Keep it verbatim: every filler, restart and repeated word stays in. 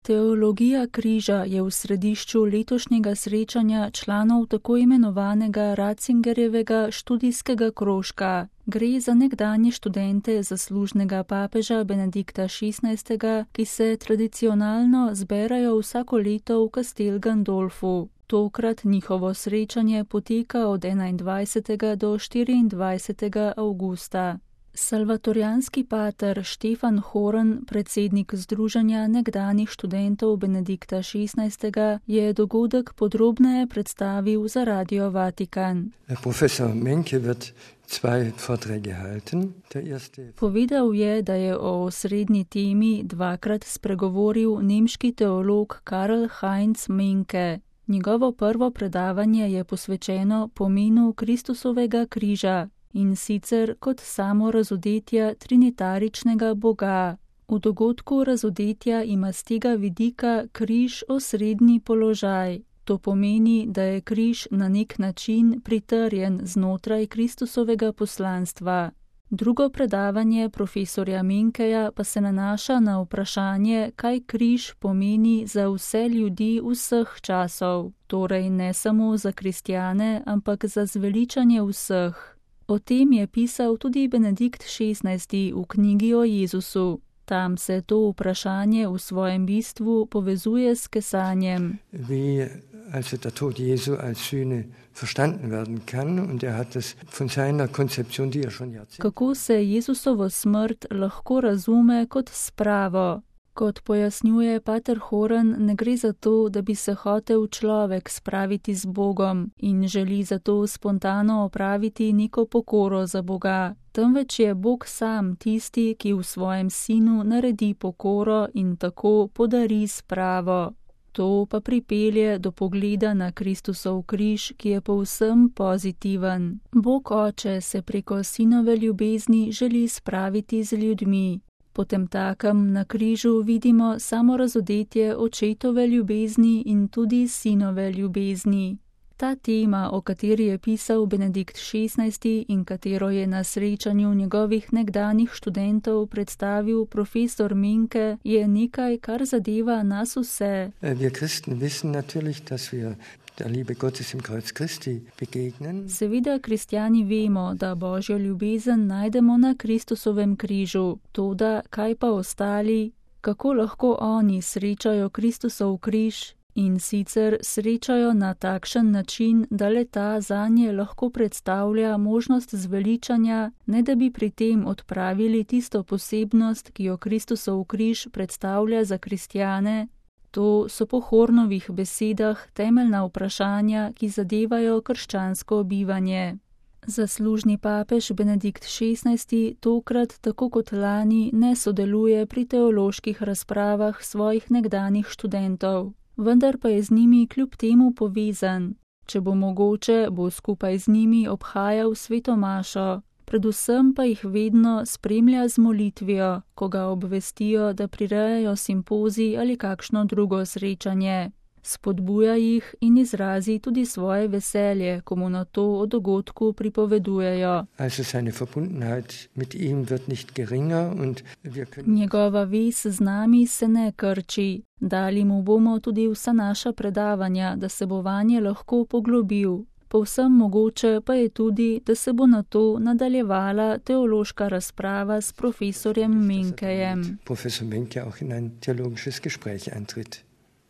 Teologija križa je v središču letošnjega srečanja članov tako imenovanega Ratzingerjevega študijskega krožka. Gre za nekdanje študente zaslužnega papeža Benedikta šestnajstega, ki se tradicionalno zberajo vsako leto v Castel Gandolfu. Tokrat njihovo srečanje poteka od enaindvajsetega do štiriindvajsetega avgusta. Salvatorijanski pater Štefan Horn, predsednik Združenja nekdanjih študentov Benedikta šestnajstega, je dogodek podrobneje predstavil za Radio Vatikan. Profesor Menke wird zwei Vorträge halten. Der erste... Povedal je, da je o osrednji temi dvakrat spregovoril nemški teolog Karl Heinz Menke. Njegovo prvo predavanje je posvečeno pomenu Kristusovega križa, in sicer kot samo razodetja trinitaričnega Boga. V dogodku razodetja ima z tega vidika križ osrednji položaj. To pomeni, da je križ na nek način pritrjen znotraj Kristusovega poslanstva. Drugo predavanje profesorja Menkeja pa se nanaša na vprašanje, kaj križ pomeni za vse ljudi vseh časov, torej ne samo za kristjane, ampak za zveličanje vseh. O tem je pisal tudi Benedikt šestnajsti v knjigi o Jezusu. Tam se to vprašanje v svojem bistvu povezuje s kesanjem. Wie also der Tod Jesu als Sühne verstanden werden kann und er hat es von seiner Konzeption, die er schon Jahrzehnte... Kako se Jezusovo smrt lahko razume kot spravo? Kot pojasnjuje pater Horn, ne gre za to, da bi se hotel človek spraviti z Bogom in želi zato spontano opraviti neko pokoro za Boga, temveč je Bog sam tisti, ki v svojem sinu naredi pokoro in tako podari spravo. To pa pripelje do pogleda na Kristusov križ, ki je povsem pozitiven. Bog Oče se preko sinove ljubezni želi spraviti z ljudmi. Potemtakem na križu vidimo samo razodetje očetove ljubezni in tudi sinove ljubezni. Ta tema, o kateri je pisal Benedikt šestnajsti in katero je na srečanju njegovih nekdanjih študentov predstavil profesor Menke, je nekaj, kar zadeva nas vse. Wir Christen wissen natürlich, dass wir der Liebe Gottes im Kreuz Christi begegnen. Seveda kristjani vemo, da Božjo ljubezen najdemo na Kristusovem križu. Toda kaj pa ostali? Kako lahko oni srečajo Kristusov križ? In sicer srečajo na takšen način, da le ta zanje lahko predstavlja možnost zveličanja, ne da bi pri tem odpravili tisto posebnost, ki jo Kristusov križ predstavlja za kristjane. To so po Hornovih besedah temeljna vprašanja, ki zadevajo krščansko bivanje. Zaslužni papež Benedikt šestnajsti tokrat, tako kot lani, ne sodeluje pri teoloških razpravah svojih nekdanjih študentov, vendar pa je z njimi kljub temu povezan. Če bo mogoče, bo skupaj z njimi obhajal sveto mašo, predvsem pa jih vedno spremlja z molitvijo, ko ga obvestijo, da prirejajo simpozij ali kakšno drugo srečanje. Spodbuja jih in izrazi tudi svoje veselje, ko mu na to o dogodku pripovedujejo. Also seine Verbundenheit mit ihm wird nicht geringer und wir können... Njegova vez z nami se ne krči. Dali mu bomo tudi vsa naša predavanja, da se bo vanje lahko poglobil. Povsem mogoče pa je tudi, da se bo na to nadaljevala teološka razprava s profesorjem Menkejem. Profesor Menke auch in ein theologisches Gespräch eintritt.